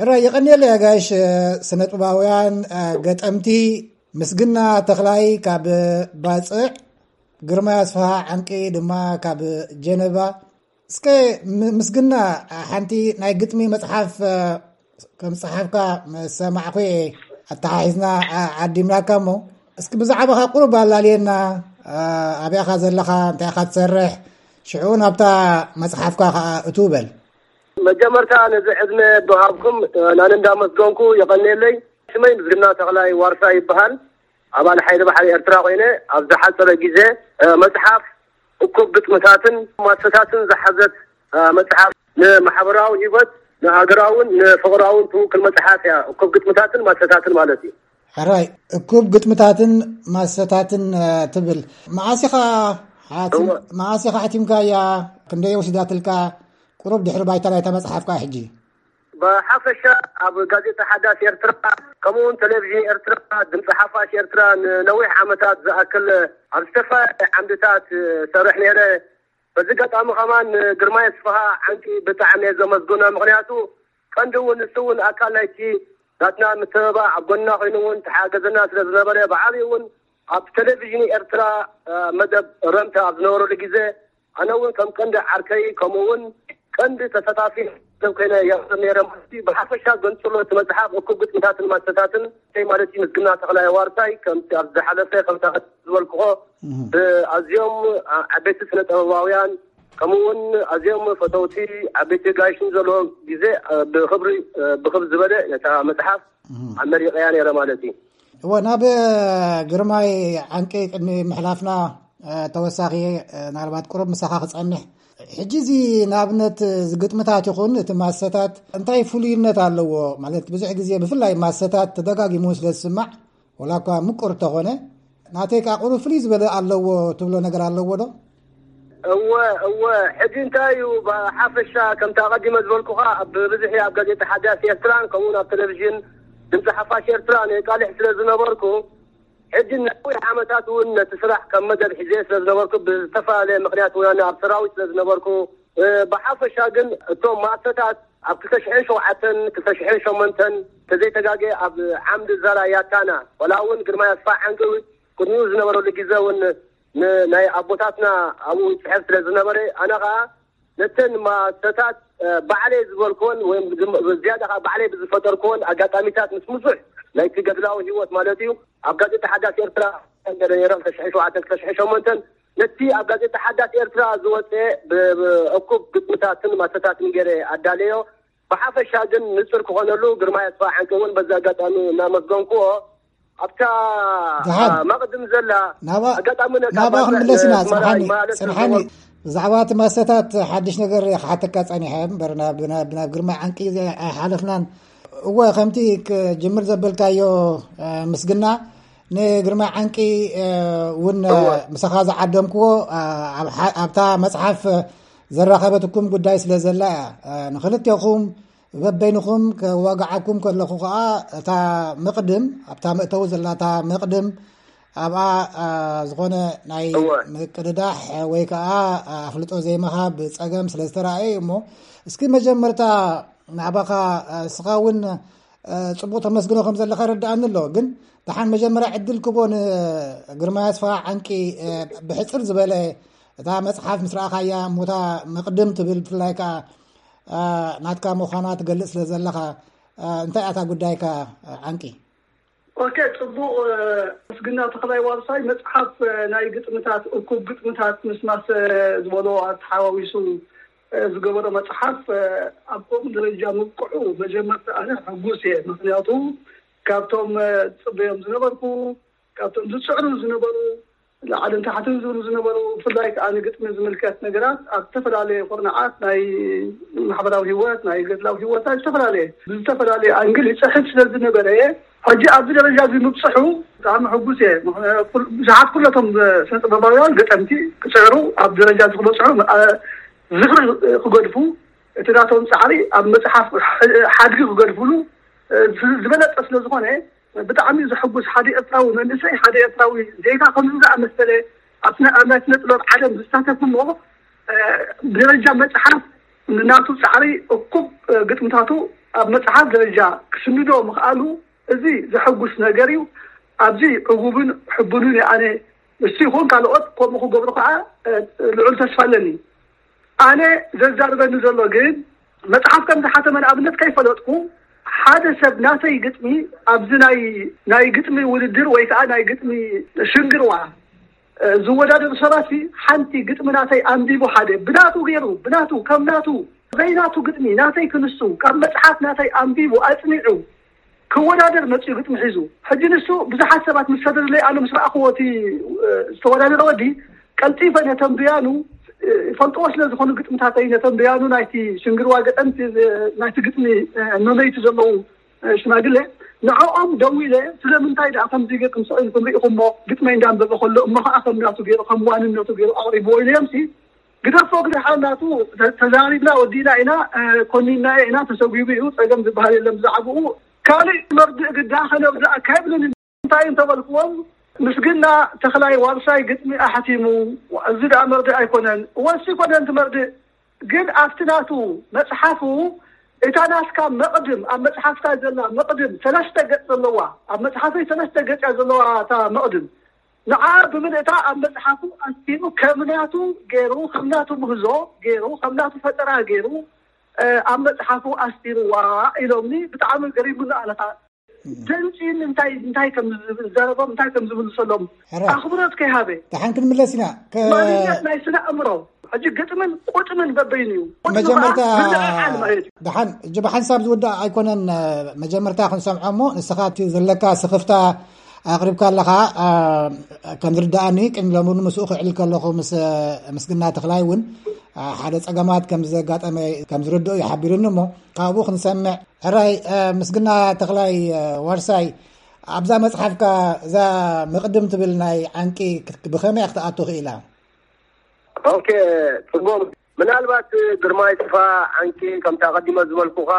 ሕራይ የቐንየለይ ኣጋይሽ፣ ስነጥበባውያን፣ ገጠምቲ ምስግና ተኽላይ ካብ ባጽዕ፣ ግርማይ ኣስፍሃ ዓንቂ ድማ ካብ ጀነቫ። እስከ ምስግና፣ ሓንቲ ናይ ግጥሚ መጽሓፍ ከም ጸሓፍካ ምስ ሰማዕኩ ኣተሓሒዝና ዓዲምናካ። እሞ እስኪ ብዛዕባኻ ቁሩብ ኣላልየና። ኣበይ ኢኻ ዘለኻ? እንታይ ኢኻ ትሰርሕ? ሽዑ ናብታ መጽሓፍካ ከኣ እትው በል። መጀመርታ ነዚ ዕድመ ብሃብኩም ናን እንዳመስገንኩ የቐንየለይ። ሽመይ ምስግና ተኽላይ ዋርሳ ይበሃል። ኣባል ሓይሊ ባሕሪ ኤርትራ ኮይነ ኣብ ዝሓጸረ ግዜ መጽሓፍ እኩብ ግጥምታትን ማሰታትን ዝሓዘት መጽሓፍ፣ ንማሕበራዊ ህይወት፣ ንሃገራውን ንፍቕራውን ትውክል መጽሓፍ እያ። እኩብ ግጥምታትን ማሰታትን ማለት እዩ። ሕራይ፣ እኩብ ግጥምታትን ማሰታትን ትብል። መዓስ ኢኻ ሓቲም-፣ እወ። መዓስ ኢኻ ሓቲምካያ? ክንደይ ወሲዳትልካ? ቁሩብ ድሕሪ ባይታ ናይታ መጽሓፍ ከኣ ሕጂ። ብሓፈሻ ኣብ ጋዜጣ ሓዳስ ኤርትራ፣ ከምኡ እውን ቴሌቪዥን ኤርትራ፣ ድምፂ ሓፋሽ ኤርትራ ንነዊሕ ዓመታት ዝኣክል ኣብ ዝተፈላለየ ዓምድታት ሰርሕ ነይረ። በዚ ኣጋጣሚ ከማን ንግርማይ ኣስፍሃ ዓንቂ ብጣዕሚ እየ ዘመስግኖ። ምኽንያቱ ቀንዲ እውን ንሱ እውን ኣካል ናይቲ ናትና ምትብባዕ ኣብ ጎንና ኮይኑ እውን ተሓገዘና ስለ ዝነበረ፣ ብዓብዩ እውን ኣብ ቴሌቪዥን ኤርትራ መደብ ረምታ ኣብ ዝነበረሉ ግዜ ኣነ እውን ከም ቀንዲ ዓርከይ ከምኡ እውን ቀንዲ ተሳታፊ ሰብ ኮይነ የቕርብ ነይረ ማለት እዩ። ብሓፈሻ ገንጽሎ እቲ መጽሓፍ እኩብ ግጥምታትን ማሰታትን እንታይ ማለት እዩ? ምስግና ተኽላይ ዋርሳይ ከምቲ ኣብ ዝሓለፈ ከምታ ዝበልክዎ እህ። ብኣዝዮም ዓበይቲ ስነ ጥበባውያን ከምኡ እውን ኣዝዮም ፈተውቲ ዓበይቲ ጋይሽን ዘለዎ ግዜ ብኽብሪ ብኽብ ዝበለ ነታ መጽሓፍ እህ። ኣመሪቐያ ነይረ ማለት እዩ። እወ፣ ናብ ግርማይ ዓንቂ ቅድሚ ምሕላፍና ተወሳኺ ናልባት ቁሩብ ምሳኻ ክጸንሕ። ሕጂ እዚ ንኣብነት እዚ ግጥምታት ይኹን እቲ ማሰታት እንታይ ፍሉይነት ኣለዎ? ማለት ብዙሕ ግዜ ብፍላይ ማሰታት ተደጋጊሙ ስለ ዝስማዕ፣ ወላ እኳ ምቁር ተኾነ፣ ናተይ ከኣ ቁሩብ ፍልይ ዝበለ ኣለዎ ትብሎ ነገር ኣለዎ ዶ? እወ፣ እወ። ሕጂ እንታይ እዩ፣ ብሓፈሻ ከምቲ ኣቐዲመ ዝበልኩኻ፣ ኣብ ብብዝሒ ኣብ ጋዜጣ ሓዳስ ኤርትራን ከምኡውን ኣብ ቴሌቪዥን ድምፂ ሓፋሽ ኤርትራ ንቃልሕ ስለ ዝነበርኩ፣ ሕጂ ነዊሕ ዓመታት እውን ነቲ ስራሕ ከም መደብ ሒዘ ስለ ዝነበርኩ፣ ብዝተፈላለየ ምኽንያት እውን ኣነ ኣብ ሰራዊት ስለ ዝነበርኩ፣ ብሓፈሻ ግን እቶም ማሰታት ኣብ ክልተ ሽሕን ሸውዓተን፣ ክልተ ሽሕን ሸሞንተን፣ ተዘይተጋገ ኣብ ዓምዲ ዛራ ያታና፣ ወላ እውን ግርማይ ኣስፋ ዓንቂ ቅድሚኡ ዝነበረሉ ግዜ እውን ንናይ ኣቦታትና ኣብኡ ይፅሕፍ ስለ ዝነበረ፣ ኣነ ከዓ ነተን ማሰታት ባዕለይ ዝበልክዎን ወይም ዝያዳ ከዓ ባዕለይ ብዝፈጠርክዎን ኣጋጣሚታት ምስ ብዙሕ ናይቲ ገድላዊ ህይወት ማለት እዩ ኣብ ጋዜጣ ሓዳስ ኤርትራ ነረ ነይረ ክልተ ሽሕን ሸውዓተን ክልተ ሽሕን ሸሞንተን ነቲ ኣብ ጋዜጣ ሓዳስ ኤርትራ ዝወፀ ብእኩብ ግጥምታትን ማሰታትን ገይረ ኣዳለዮ። ብሓፈሻ ግን ንፅር ክኾነሉ ግርማይ ኣስፋ ዓንቂ እውን በዚ ኣጋጣሚ እናመስገንክዎ ኣብታ ደሓን። መቕድም ዘላ ናባ-፣ ኣጋጣሚ ነታ ናባኣ ባዛ-፣ ክንምለስ ኢና። ኣስመራ ጽንሓኒ፣ ይመላለስ ጽንሓኒ። ስለዝነበርኩ። ብዛዕባ እቲ ማሰታት ሓድሽ ነገር እየ ክሓተካ ጸኒሐ እምበር ናብ፣ ናብ፣ ናብ ግርማይ ዓንቂ ኣይሓለፍናን። እወ፣ ከምቲ ክጅምር ዘበልካዮ፣ እ፣ ምስግና ንግርማይ ዓንቂ፣ እ፣ እውን፣ እ፣ እወ። ምሳኻ ዝዓደምክዎ፣ እ፣ ኣብ ሓ-፣ ኣብታ መጽሓፍ ዘራኸበትኩም ጉዳይ ስለ ዘላ እያ። እ፣ ንኽልቴኹም በበይንኹም ከዋግዓኩም ከለኹ ከኣ፣ እታ መቕድም፣ ኣብታ መእተዊ ዘላ እታ መቕድም፣ ኣብኣ፣ ኣ፣ ዝኾነ ናይ እወ። ምቅድዳሕ ወይ ከኣ ኣፍልጦ ዘይምሃብ ጸገም ስለ ዝተራእየ እዩ እሞ፣ እስኪ መጀመርታ ናባኻ፣ ኣ፣ እስኻ እውን፣ ኣ፣ ጽቡቕ ተመስግኖ ከም ዘለኻ ይርድኣኒ ኣሎ። ግን ደሓን መጀመርያ ዕድል ክቦ ንግርማይ ኣስፍሃ ዓንቂ፣ እ፣ ብሕጽር ዝበለ እታ መጽሓፍ ምስ ረኣኻያ እሞ እታ መቕድም ትብል ብፍላይ ከኣ ኣ፣ ናትካ ምዃና ትገልጽ ስለ ዘለኻ፣ ኣ፣ እንታይ እያ እታ ጉዳይካ፣ ኣ፣ ዓንቂ? ኦኬ፣ ጽቡቕ። እ፣ ምስግና ተኽላይ ዋርሳይ መጽሓፍ፣ እ፣ ናይ ግጥምታት፣ እኩብ ግጥምታት ምስ ማሰ ዝበሎ ኣተሓዋዊሱ፣ እ፣ ዝገበሮ መጽሓፍ፣ እ፣ ኣብ ከምኡ ደረጃ ምብቅዑ መጀመርታ ኣነ ሕጉስ እየ። ምኽንያቱ ካብቶም፣ እ፣ ዝጽበዮም ዝነበርኩ፣ ካብቶም ዝጽዕሩ ዝነበሩ፣ ላዕልን ታሕትን ዝብሉ ዝነበሩ፣ ብፍላይ ከኣ ንግጥሚ ዝምልከት ነገራት ኣብ ዝተፈላለየ ኩርናዓት ናይ ማሕበራዊ ህይወት፣ ናይ ገድላዊ ህይወት፣ ናይ ዝተፈላለየ፣ ብዝተፈላለየ ኣንግል ይጽሕፍ ስለ ዝነበረ፣ ሕጂ ኣብዚ ደረጃ እዚ ምብጽሑ ብጣዕሚ ሕጉስ እየ። ምኽንያቱ ኩል-፣ ብዙሓት ኩለቶም ስነ ጥበባውያን ገጠምቲ ክጽዕሩ ኣብ ደረጃ እዚ ክበጽሑ፣ ኣ-፣ ዝኽሪ ክገድፉ፣ እቲ ናቶም ጻዕሪ ኣብ መጽሓፍ ሓድጊ ክገድፍሉ፣ እ፣ ዝ-፣ ዝበለጸ ስለ ዝኾነ፣ ብጣዕሚ ዘሐጉስ፣ ሓደ ኤርትራዊ መንእሰይ፣ ሓደ ኤርትራዊ ዜጋ ከምዚ ዝኣመሰለ ኣብ ስነ-፣ ኣብ ናይ ስነ ጥበብ ዓለም ዝሳተፍ እሞ፣ እ፣ ብደረጃ መጽሓፍ ንናቱ ጻዕሪ እኩብ፣ እ፣ ግጥምታቱ ኣብ መጽሓፍ ደረጃ ክስንዶ ምኽኣሉ፣ እዚ ዘሐጉስ ነገር እዩ። ኣብዚ ዕጉብን ሕቡንን እየ ኣነ። እሱ ይኹን ካልኦት ከምኡ ክገብሩ ከዓ፣ እ፣ ልዑል ተስፋ ኣለኒ። ኣነ ዘዛርበኒ ዘሎ ግን፣ መጽሓፍ ከም ዝሓተመ ንኣብነት ከይፈለጥኩ፣ ሓደ ሰብ ናተይ ግጥሚ ኣብዚ ናይ፣ ናይ ግጥሚ ውድድር ወይ ከዓ ናይ ግጥሚ ሽንግርዋ፣ እ፣ ዝወዳደሩ ሰባት፣ ሓንቲ ግጥሚ ናተይ ኣንቢቡ፣ ሓደ ብናቱ ገይሩ፣ ብናቱ፣ ከም ናቱ፣ ዘይናቱ ግጥሚ ናተይ ክንሱ፣ ካብ መጽሓፍ ናተይ ኣንቢቡ፣ ኣጽኒዑ፣ ክወዳደር መጽኡ ግጥሚ ሒዙ። ሕጂ ንሱ ብዙሓት ሰባት ምስ ሰደዱለይ፣ ኣነ ምስ ረኣኽዎ፣ እቲ፣ እ፣ ዝተወዳደረ ወዲ፣ ቀልጢፈ ነተንብያኑ፣ እ፣ ይፈልጥዎ ስለ ዝኾኑ ግጥምታተይ፣ ነተንብያኑ ናይቲ ሽንግርዋ ገጠምቲ፣ እ፣ ናይቲ ግጥሚ፣ እ፣ መመይቲ ዘለዉ፣ እ፣ ሽማግለ፣ ንዕኦም ደዊለ፣ ስለምንታይ ደኣ ከምዚ ጌርኩም ስቕ ኢልኩም ርኢኹሞ፣ ግጥመይ እንዳንበበ ከሎ፣ እሞ ኸዓ ከም ናቱ ገይሩ፣ ከም ዋንነቱ ገይሩ ኣቕሪብዎ ኢለዮምሲ፣ ግደፎ፣ ግደሓ፣ ናቱ ተ-፣ ተዛሪብና ወዲእና ኢና፣ እ፣ ኮኒናዮ ኢና፣ ተሰጒቡ እዩ፣ ጸገም ዝበሃል የለን ብዛዕባኡ። ካልእ መርድእ ግዳ ከነብዛ ኣካይብልን እንታይ እንተበልክዎም፣ ምስግና ተኽላይ ዋርሳይ ግጥሚ ኣሕቲሙ፣ እዚ ደኣ መርድእ ኣይኮነን፣ ወሲ ኮነን እቲ መርድእ፣ ግን ኣብቲ ናቱ መጽሓፉ፣ እታ ናትካ መቕድም፣ ኣብ መጽሓፍካ ዘላ መቕድም ሰለስተ ገጽ ዘለዋ፣ ኣብ መጽሓፈይ ሰለስተ ገጽ እያ ዘለዋ እታ መቕድም። ንዓ ብምልእታ ኣብ መጽሓፉ ኣስፊሩ፣ ከም ናቱ ገይሩ፣ ከም ናቱ ምህዞ ገይሩ፣ ከም ናቱ ፈጠራ ገይሩ፣ እ፣ ኣብ መጽሓፉ ኣስፊርዋ ኢሎምኒ። ብጣዕሚ ገሪሙኒ ኣለኻ። ደንጺ እንታይ፣ እንታይ ከም ዝዛረቦም፣ እንታይ ከም ዝምልሰሎም ሕራይ። ኣኽብሮት ከይሃበ። ደሓን ክንምለስ ኢና። ከ- ማንነት ናይ ስነ ኣእምሮ። ሕጂ ግጥምን ቁጥምን በበይኑ እዩ። ቁጥሚ መጀመርታ ኸዓ ምልዕዓል ማለት እዩ። ደሓን፣ ሕጂ ብሓንሳብ ዝውዳእ ኣይኮነን። መጀመርታ ክንሰምዖ እሞ፣ ንስኻ እቲ ዘለካ ስኽፍታ ኣቕሪብካ ኣለኻ። ኣ፣ ከም ዝርድኣኒ፣ ቅድሚ ሎሚ እውን ምስኡ ክዕልል ከለኹ፣ ምስ ምስግና ተኽላይ እውን፣ ኣ፣ ሓደ ጸገማት ከም ዘጋጠመ ከም ዝርድኦ እዩ ሓቢሩኒ እሞ፣ ካብኡ ክንሰምዕ። ሕራይ፣ እ፣ ምስግና ተኽላይ፣ እ፣ ዋርሳይ፣ ኣብዛ መጽሓፍካ እዛ መቕድም ትብል ናይ ዓንቂ ክት-፣ ብኸመይ ክትኣቱ ክኢላ? ኦኬ፣ ጽቡቕ። ምናልባት ግርማይ ተስፋ ዓንቂ፣ ከምቲ ኣቐዲመ ዝበልኩኻ፣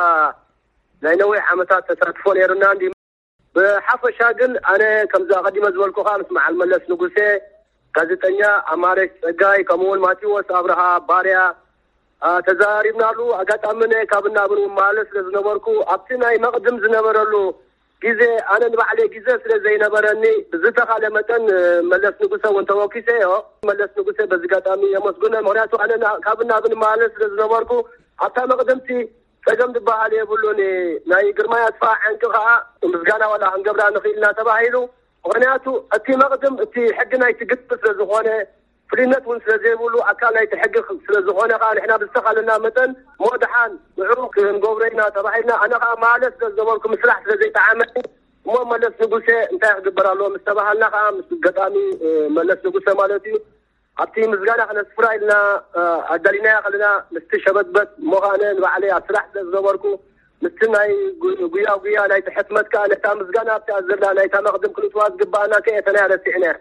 ናይ ነዊሕ ዓመታት ተሳትፎ ነይሩና እንዲ። ብሓፈሻ ግን ኣነ ከምዚ ኣቐዲመ ዝበልኩኻ ምስ መዓል መለስ ንጉሴ፣ ጋዜጠኛ ኣማረች ጸጋይ፣ ከምኡ እውን ማቴዎስ ኣብርሃ ባርያ፣ ኣ፣ ተዛሪብናሉ። ኣጋጣሚ እነ ካብን ናብን እውን መላለስ ስለ ዝነበርኩ፣ ኣብቲ ናይ መቕድም ዝነበረሉ ግዜ ኣነ ንባዕለይ ግዜ ስለ ዘይነበረኒ፣ ብዝተኻለ መጠን፣ እ፣ መለስ ንጉሰ እውን ተወኪሰዮ። መለስ ንጉሰ በዚ ኣጋጣሚ የመስግኖ። ምኽንያቱ ኣነ ና-፣ ካብን ናብን መላለስ ስለ ዝነበርኩ፣ ኣብታ መቕድምቲ ጸገም ዝበሃል የብሉን። ናይ ግርማይ ኣስፋ ዓንቂ ከኣ ምስጋና ዋላ ክንገብራ ንኽእል ኢና ተባሂሉ። ምኽንያቱ እቲ መቕድም እቲ ሕጊ ናይቲ ግጥሚ ስለ ዝኾነ፣ ፍልይነት እውን ስለ ዘይብሉ፣ ኣካል ናይቲ ሕጊ ስለ ዝኾነ ከኣ፣ ንሕና ብዝተኻለና መጠን እሞ ደሓን ንዕኡ ክንገብሮ ኢና ተባሂልና። ኣነ ከኣ ማለት ስለ ዝነበርኩ ምስራሕ ስለ ዘይጠዓመኒ፣ እሞ መለስ ንጉሴ እንታይ ክግበር ኣለዎ ምስ ተባሃልና ከኣ፣ ምስ ገጣሚ፣ እ፣ መለስ ንጉሴ ማለት እዩ፣ ኣብቲ ምስጋና ክነስፍራ ኢልና፣ እ፣ ኣዳሊናያ ከለና፣ ምስቲ ሸበትበት እሞ ከኣ ኣነ ንባዕለይ ኣብ ስራሕ ስለ ዝነበርኩ፣ ምስቲ ናይ ጉ-፣ ጉያ ጉያ ናይቲ ሕትመት ከኣ ነታ ምስጋና ኣብቲኣ ዘላ ናይታ መቕድም ክንእትዋ ዝግባኣና ከየተናያ ረሲዕናያ።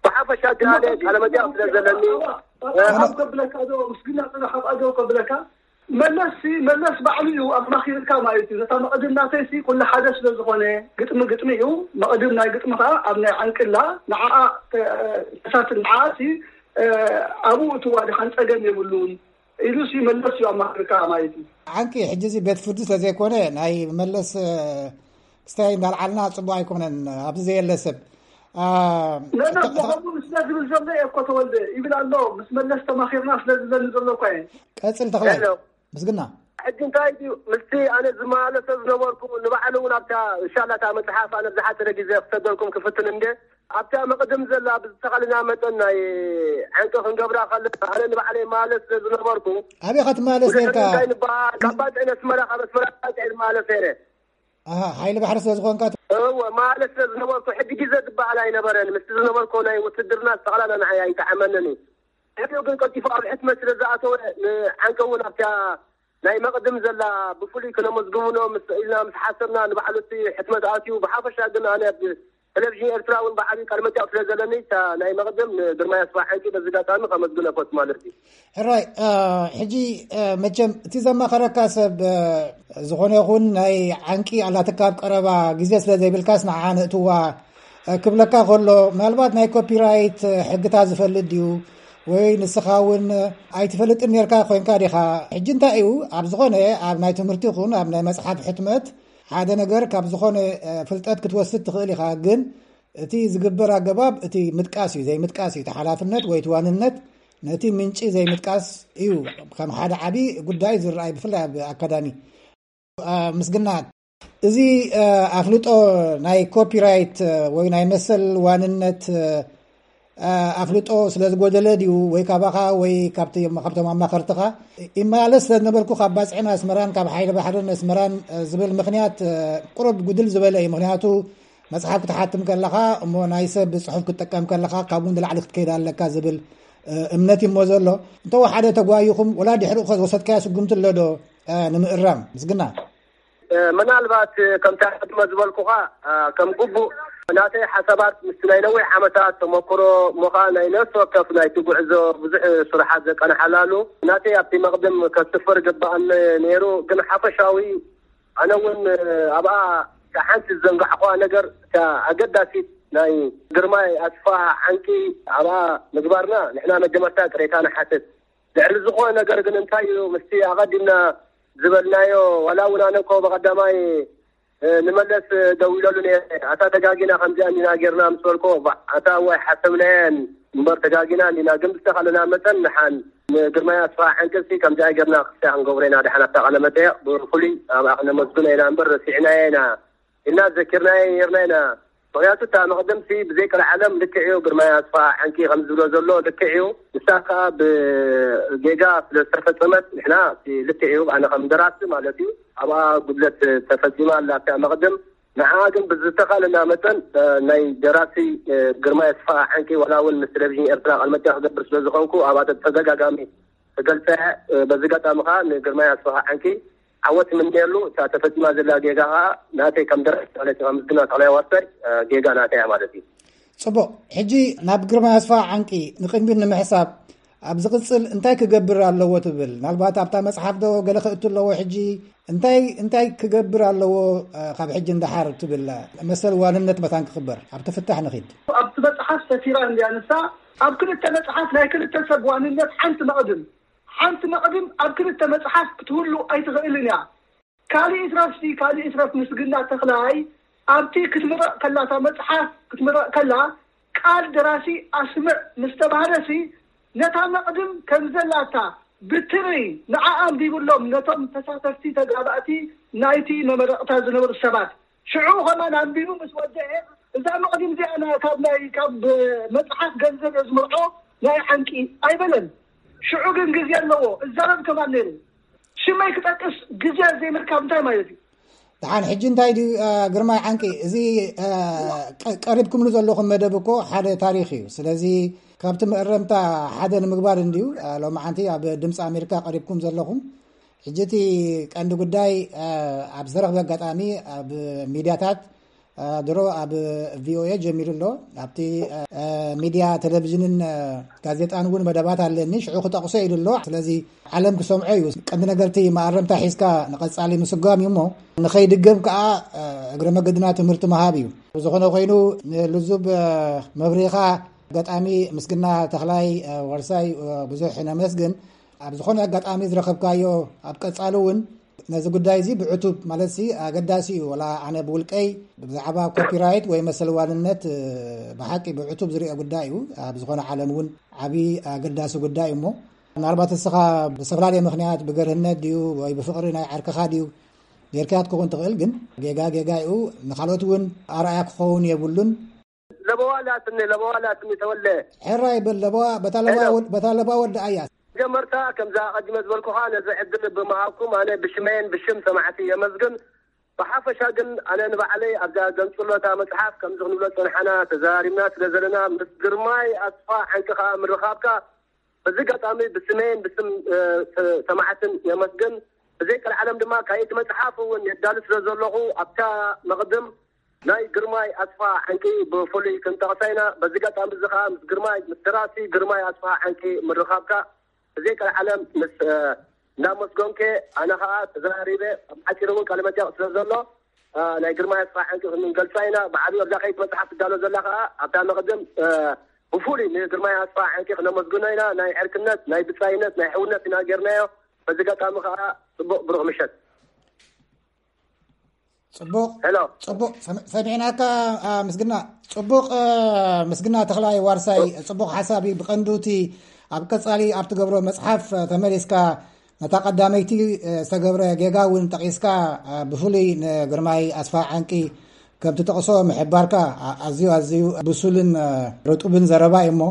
ብሓፈሻ ግን ኣነ ቃለ መጠይቕ ስለ ዘለኒ፣ እ፣ ኣብ ከብለካ ዶ፣ ምስግና ጽናሕ ኣብ ኣገው ከብለካ፣ መለስ ሲ፣ መለስ ባዕሉ እዩ ኣማኺርካ ማለት እዩ። ነታ መቕድም ናተይ ሲ ኩሉ ሓደ ስለ ዝኾነ፣ ግጥሚ ግጥሚ እዩ። መቕድም ናይ ግጥሚ ከኣ ኣብ ናይ ዓንቅላ ንዓኣ፣ እ፣ ተሳትን ንዓኣ ሲ፣ እ፣ ኣብኡ እትዋ ድሓን ጸገም የብሉን ኢሉ ሲ መለስ እዩ ኣማኺርካ ማለት እዩ። ዓንቂ፣ ሕጂ እዚ ቤት ፍርዲ ስለ ዘይኮነ፣ ናይ መለስ፣ እ፣ ክስታይ እንዳልዓልና ጽቡቕ ኣይኮነን፣ ኣብዚ ዘየለ ሰብ። ኣ፣ ነነ ተ-፣ ተ-፣ ብኸምኡ ስለ ዝብል ዘሎ እየ እኮ ተወልደ ይብል ኣሎ። ምስ መለስ ተማኺርና ስለ ዝብለኒ ዘሎ እኮ እየ። ቀጽል ተኽላይ። ሄሎ። ምስግና። ሕጂ እንታይ ድዩ? ምስቲ ኣነ ዝመላለሶ ዝነበርኩ ንባዕሉ እውን ኣብታ፣ እንሻላ፣ እታ መጽሓፍ ኣነ ብዝሓጸረ ግዜ ክሰደልኩም ክፍትን እንደ ኣብታ መቕድም ዘላ ብዝተኻልና መጠን ናይ ዓንቂ ክንገብራ ከለና ኣነ ንባዕለይ ማለት ስለ ዝነበርኩ ኣበይ ኢኻ ትመላለስ ነርካ? እንታይ ንበሃል? ካብ ባጽዕ ነስመራ፣ ካብ ኣስመራ ባጽዕ ዝመላለስ ነይረ። ኣሃ፣ ሓይሊ ባሕሪ ስለ ዝኾንካ ት- እወ፣ ማለት ስለ ዝነበርኩ ሕጂ ግዜ ዝበሃል ኣይነበረን። ምስቲ ዝነበርኩ ናይ ውትድርና ጠቕላላ ንዓይ ኣይጠዓመንን እዩ። ሕጂ ግን ቀልጢፉ ኣብ ሕትመት ስለ ዝኣተወ ንዓንቂ እውን ኣብታ ናይ መቕድም ዘላ ብፍሉይ ክነመስግኖ ምስ ኢልና ምስ ሓሰብና ንባዕሉ እቲ ሕትመት ኣትዩ። ብሓፈሻ ግን ኣነ ኣብ ቴሌቪዥን ኤርትራ እውን ብዓብዩ ቃለ መጠይቕ ስለ ዘለኒ እታ ናይ መቕድም ንግርማይ ኣስፋ ዓንቂ በዚ ኣጋጣሚ ከመስግኖ እፈቱ ማለት እዩ። ሕራይ፣ እ፣ ሕጂ፣ እ፣ መቸም እቲ ዘማኸረካ ሰብ፣ እ፣ ዝኾነ ይኹን ናይ ዓንቂ ኣላትካ ኣብ ቀረባ ግዜ ስለ ዘይብልካስ ንዓኣ ነእትዋ፣ እ፣ ክብለካ ከሎ ምናልባት ናይ ኮፒራይት፣ እ፣ ሕግታት ዝፈልጥ ድዩ? ወይ ንስኻ እውን ኣይትፈልጥን ነርካ ኮይንካ ዲኻ? ሕጂ እንታይ እዩ፣ ኣብ ዝኾነ፣ ኣብ ናይ ትምህርቲ ይኹን ኣብ ናይ መጽሓፍ ሕትመት ሓደ ነገር ካብ ዝኾነ ፍልጠት ክትወስድ ትኽእል ኢኻ። ግን እቲ ዝግበር ኣገባብ እቲ ምጥቃስ እዩ፣ ዘይምጥቃስ እዩ። እቲ ሓላፍነት ወይ እቲ ዋንነት ነቲ ምንጪ ዘይምጥቃስ እዩ ከም ሓደ ዓቢ ጉዳይ ዝረኣይ፣ ብፍላይ ኣብ ኣካዳሚ። ምስግና፣ እዚ ኣፍልጦ ናይ ኮፒራይት ወይ ናይ መሰል ዋንነት ኣፍልጦ ስለ ዝጎደለ ድዩ፣ ወይ ካባኻ ወይ ካብቶም ኣማኸርትኻ ይመላለስ ስለ ዝነበርኩ ካብ ባፅዕን ኣስመራን ካብ ሓይሊ ባሕርን ኣስመራን ዝብል ምኽንያት ቁሩብ ጉድል ዝበለ እዩ። ምኽንያቱ መፅሓፍ ክትሓትም ከለኻ እሞ ናይ ሰብ ፅሑፍ ክትጥቀም ከለኻ ካብኡ ንላዕሊ ክትከይድ ኣለካ ዝብል እምነት እዩ እሞ ዘሎ። እንተወሓደ ተጓይኹም ወላ ድሕሪኡ ከ ዝወሰድካዮ ስጉምቲ ኣሎ ዶ ንምእራም? ምስግና። ምናልባት ከምቲ ኣቐድመ ዝበልኩኻ ከም ግቡእ ናተይ ሓሳባት ምስቲ ናይ ነዊሕ ዓመታት ተመክሮ እሞ ኸዓ ናይ ነፍሲ ወከፍ ናይቲ ጉዕዞ ብዙሕ ስራሓት ዘቀናሓላሉ ናተይ ኣብቲ መቕድም ከስፍር ግባኣኒ ነይሩ። ግን ሓፈሻዊ ኣነ እውን ኣብኣ እታ ሓንቲ ዝዘንጋዕኩዋ ነገር እታ ኣገዳሲት ናይ ግርማይ ኣስፋ ዓንቂ ኣብኣ ምግባርና ንሕና መጀመርታ ቅሬታ ንሓትት። ልዕሊ ዝኾነ ነገር ግን እንታይ እዩ ምስቲ ኣቐዲምና ዝበልናዮ ዋላ እውን ኣነ እኮ ብቐዳማይ ንመለስ ደዊለሉ ነይረ ኣታ ተጋጊና ከምዚኣ እንዲና ጌርና ምስ በልኮ ኣታ እዋይ ሓሰብናየን እምበር ተጋጊና እንዲና ግን ብዝተኻለና መጠን ንሓን ንግርማይ ኣስፋ ዓንቅልሲ ከምዚኣ ጌርና ክስያ ክንገብሮ ኢና ድሓን ኣብታ ቃለ መጠየቕ ብፍሉይ ኣብኣ ክነመስግኖ ኢና እምበር ረሲዕናዮ ኢና ኢልና ዘኪርናዮ ነርና ኢና። ምክንያቱ እታ መቅደምሲ ብዘይ ቀልዓለም ልክዕ እዩ ግርማይ ኣስፋ ዓንቂ ከም ዝብሎ ዘሎ ልክዕ እዩ። ንሳ ከዓ ብጌጋ ስለ ዝተፈፀመት ንሕና ልክዕ እዩ ኣነ ከም ደራሲ ማለት እዩ ኣብኣ ጉድለት ተፈፂማ ኣላ እታ መቅደም። ንዓ ግን ብዝተካለና መጠን ናይ ደራሲ ግርማይ ኣስፋ ዓንቂ ዋላ እውን ምስ ቴሌቪዥን ኤርትራ ቃልመጠ ክገብር ስለ ዝኮንኩ ኣብኣ ተደጋጋሚ ተገልፀ። በዚ ጋጣሚ ከዓ ንግርማይ ኣስፋ ዓንቂ ዓወት ምንየሉ እታ ተፈፂማ ዘላ ጌጋ ከዓ ናተይ ከም ደራሲ ማለት እዩ ምስግና ተክላይ ዋርሳይ ጌጋ ናተይ እያ ማለት እዩ። ፅቡቕ። ሕጂ ናብ ግርማይ ኣስፋ ዓንቂ ንቅድሚት ንምሕሳብ ኣብ ዝቕፅል እንታይ ክገብር ኣለዎ ትብል? ናልባት ኣብታ መፅሓፍ ዶ ገለ ክእቱ ኣለዎ? ሕጂ እንታይ እንታይ ክገብር ኣለዎ ካብ ሕጂ እንዳሓር ትብል? መሰል ዋንነት መታን ክኽበር ኣብቲ ፍታሕ ንኺድ። ኣብቲ መፅሓፍ ሰፊራ እንድያ ንሳ። ኣብ ክልተ መፅሓፍ ናይ ክልተ ሰብ ዋንነት ሓንቲ መቕድም ሓንቲ መቕድም ኣብ ክልተ መፅሓፍ ክትህሉ ኣይትኽእልን እያ። ካልእ ይትረፍሲ ካልእ ይትረፍ ምስግና ተኽላይ ኣብቲ ክትምረቕ ከላ እታ መፅሓፍ ክትምረቕ ከላ ቃል ደራሲ ኣስምዕ ምስ ተባህለሲ ነታ መቕድም ከም ዘላታ ብትሪ ንዓ ኣንቢብሎም ነቶም ተሳተፍቲ ተጋባእቲ ናይቲ መመረቕታ ዝነበሩ ሰባት ሽዑ ከማን ኣንቢቡ ምስ ወደአ እዛ መቕድም እዚኣ ካብ ናይ ካብ መፅሓፍ ገንዘብ እየ ዝምርዖ ናይ ዓንቂ ኣይበለን። ሽዑ ግን ግዜ ኣለዎ እዛረብ ከማን ነይሩ። ሽመይ ክጠቅስ ግዜ ዘይምርካብ እንታይ ማለት እዩ? ደሓን ሕጂ እንታይ ድዩ ግርማይ ዓንቂ እዚ ቀሪብኩምሉ ዘለኹም መደብ እኮ ሓደ ታሪኽ እዩ። ስለዚ ካብቲ መእረምታ ሓደ ንምግባር እንድዩ ሎማዓንቲ ኣብ ድምፂ ኣሜሪካ ቀሪብኩም ዘለኹም። ሕጂ እቲ ቀንዲ ጉዳይ ኣብ ዝተረኽበ ኣጋጣሚ ኣብ ሚድያታት ድሮ ኣብ ቪኦኤ ጀሚሩ ኣሎ። ኣብቲ ሚድያ ቴሌቪዥንን ጋዜጣን እውን መደባት ኣለኒ ሽዑ ክጠቕሶ ኢሉ ኣሎ። ስለዚ ዓለም ክሰምዖ እዩ። ቀንዲ ነገርቲ መኣረምታ ሒዝካ ንቐፃሊ ምስጓም እዩ እሞ ንኸይድገም ከዓ እግረ መገድና ትምህርቲ ምሃብ እዩ። ብዝኾነ ኮይኑ ንልዙብ መብሪኻ ኣጋጣሚ ምስግና ተኽላይ ወርሳይ ብዙሕ ነመስግን። ኣብ ዝኾነ ኣጋጣሚ ዝረኸብካዮ ኣብ ቀፃሊ እውን ነዚ ጉዳይ እዚ ብዕቱብ ማለት ሲ ኣገዳሲ እዩ። ወላ ኣነ ብውልቀይ ብዛዕባ ኮፒራይት ወይ መሰል ዋንነት ብሓቂ ብዕቱብ ዝሪኦ ጉዳይ እዩ። ኣብ ዝኾነ ዓለም እውን ዓብዪ ኣገዳሲ ጉዳይ እዩ እሞ ምናልባት እስኻ ብዝተፈላለየ ምክንያት ብገርህነት ድዩ ወይ ብፍቕሪ ናይ ዓርክኻ ድዩ ጌርካያ ክትከውን ትኽእል። ግን ጌጋ ጌጋ እዩ። ንካልኦት እውን ኣርኣያ ክኸውን የብሉን። ለበዋ ላትኒ ለበዋ ላትኒ ተወለ ሕራይ በል ለበዋ በታ ለበዋ ወድ- በታ ለበዋ ወድኣያ። መጀመርታ ከምዛ ቀዲመ ዝበልኩኻ ነዚ ዕድል ብምሃብኩም ኣነ ብሽመይን ብሽም ሰማዕቲ የመስግን። ብሓፈሻ ግን ኣነ ንባዕለይ ኣብዛ ገንፅሎታ መፅሓፍ ከምዚ ክንብሎ ፀንሓና ተዘራሪብና ስለ ዘለና ምስ ግርማይ ኣስፋ ዓንቂ ከዓ ምርኻብካ በዚ ኣጋጣሚ ብስመይን ብስም ሰማዕትን የመስግን። ብዘይ ቀልዓለም ድማ ካልኣይቲ መፅሓፍ እውን የዳሉ ስለ ዘለኹ ኣብታ መቕድም ናይ ግርማይ ኣስፋ ዓንቂ ብፍሉይ ክንጠቕሳ ኢና። በዚ ኣጋጣሚ እዚ ከዓ ምስ ግርማይ ምስ ደራሲ ግርማይ ኣስፋ ዓንቂ ምርኻብካ ብዘይ ቀልዓለም ምስ እንዳመስገንኩ ኣነ ከዓ ተዘራሪበ ኣብ ሓፂር እውን ቃለ መጠየቕ ስለ ዘሎ ናይ ግርማይ ኣስፋ ዓንቂ ክንገልፃ ኢና። ብዓብዩ ኣብዛ ከይት መፅሓፍ ትዳሎ ዘላ ከዓ ኣብታ መቕድም ብፍሉይ ንግርማይ ኣስፋ ዕንቂ ክነመስግኖ ኢና። ናይ ዕርክነት፣ ናይ ብጻይነት፣ ናይ ሕውነት ኢና ጌርናዮ። በዚ ኣጋጣሚ ከዓ ጽቡቕ ብሩኽ ምሸት። ጽቡቕ። ሄሎ። ጽቡቕ ሰሚ- ሰሚዕናካ። ምስግና ጽቡቕ። ምስግና ተኽላይ ዋርሳይ፣ ጽቡቕ ሓሳብ እዩ። ብቐንዱ እቲ ኣብ ቀጻሊ ኣብ ትገብሮ መጽሓፍ ተመሊስካ ነታ ቀዳመይቲ ዝተገብረ ጌጋ እውን ጠቒስካ፣ ብፍሉይ ንግርማይ ኣስፋ ዓንቂ ከም ትጠቕሶ ምሕባርካ ኣዝዩ ኣዝዩ ብሱልን ርጡብን ዘረባ እዩ። እሞ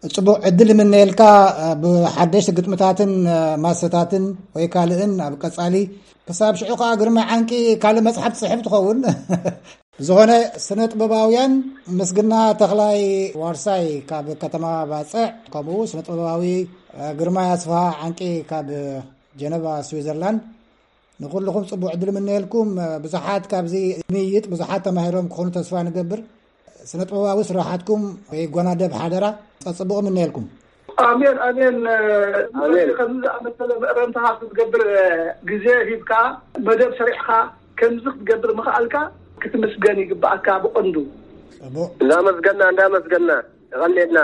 ጽቡቕ ዕድል እምነየልካ። ብሓደሽቲ ግጥምታትን ማሰታትን ወይ ካልእን ኣብ ቀጻሊ። ክሳብ ሽዑ ከኣ ግርማይ ዓንቂ ካልእ መጽሓፍ ትጽሕፍ ትኸውን። ብዝኾነ፣ ስነ ጥበባውያን ምስግና ተኽላይ ዋርሳይ ካብ ከተማ ባጽዕ፣ ከምኡ ስነ ጥበባዊ ግርማይ ኣስፋ ዓንቂ ካብ ጀነቫ ስዊዘርላንድ፣ ንኹልኹም ጽቡቕ ዕድል ምነየልኩም። ብዙሓት ካብዚ ምይይጥ ብዙሓት ተማሂሮም ክኾኑ ተስፋ ንገብር። ስነ ጥበባዊ ስራሓትኩም ይጓናደብ ሓደራ። ጸጽቡቕ ምነየልኩም። ኣሜን ኣሜን። ኣሜን። ከምዚ ዝኣመሰለ መእረምታ ክትገብር ግዜ ሂብካ፣ መደብ ሰሪዕካ፣ ከምዚ ክትገብር ምኽኣልካ ክትምስገን ይግባኣካ ብቐንዱ። ጽቡቕ። እንዳመስገና እንዳመስገና፣ የቐንየልና።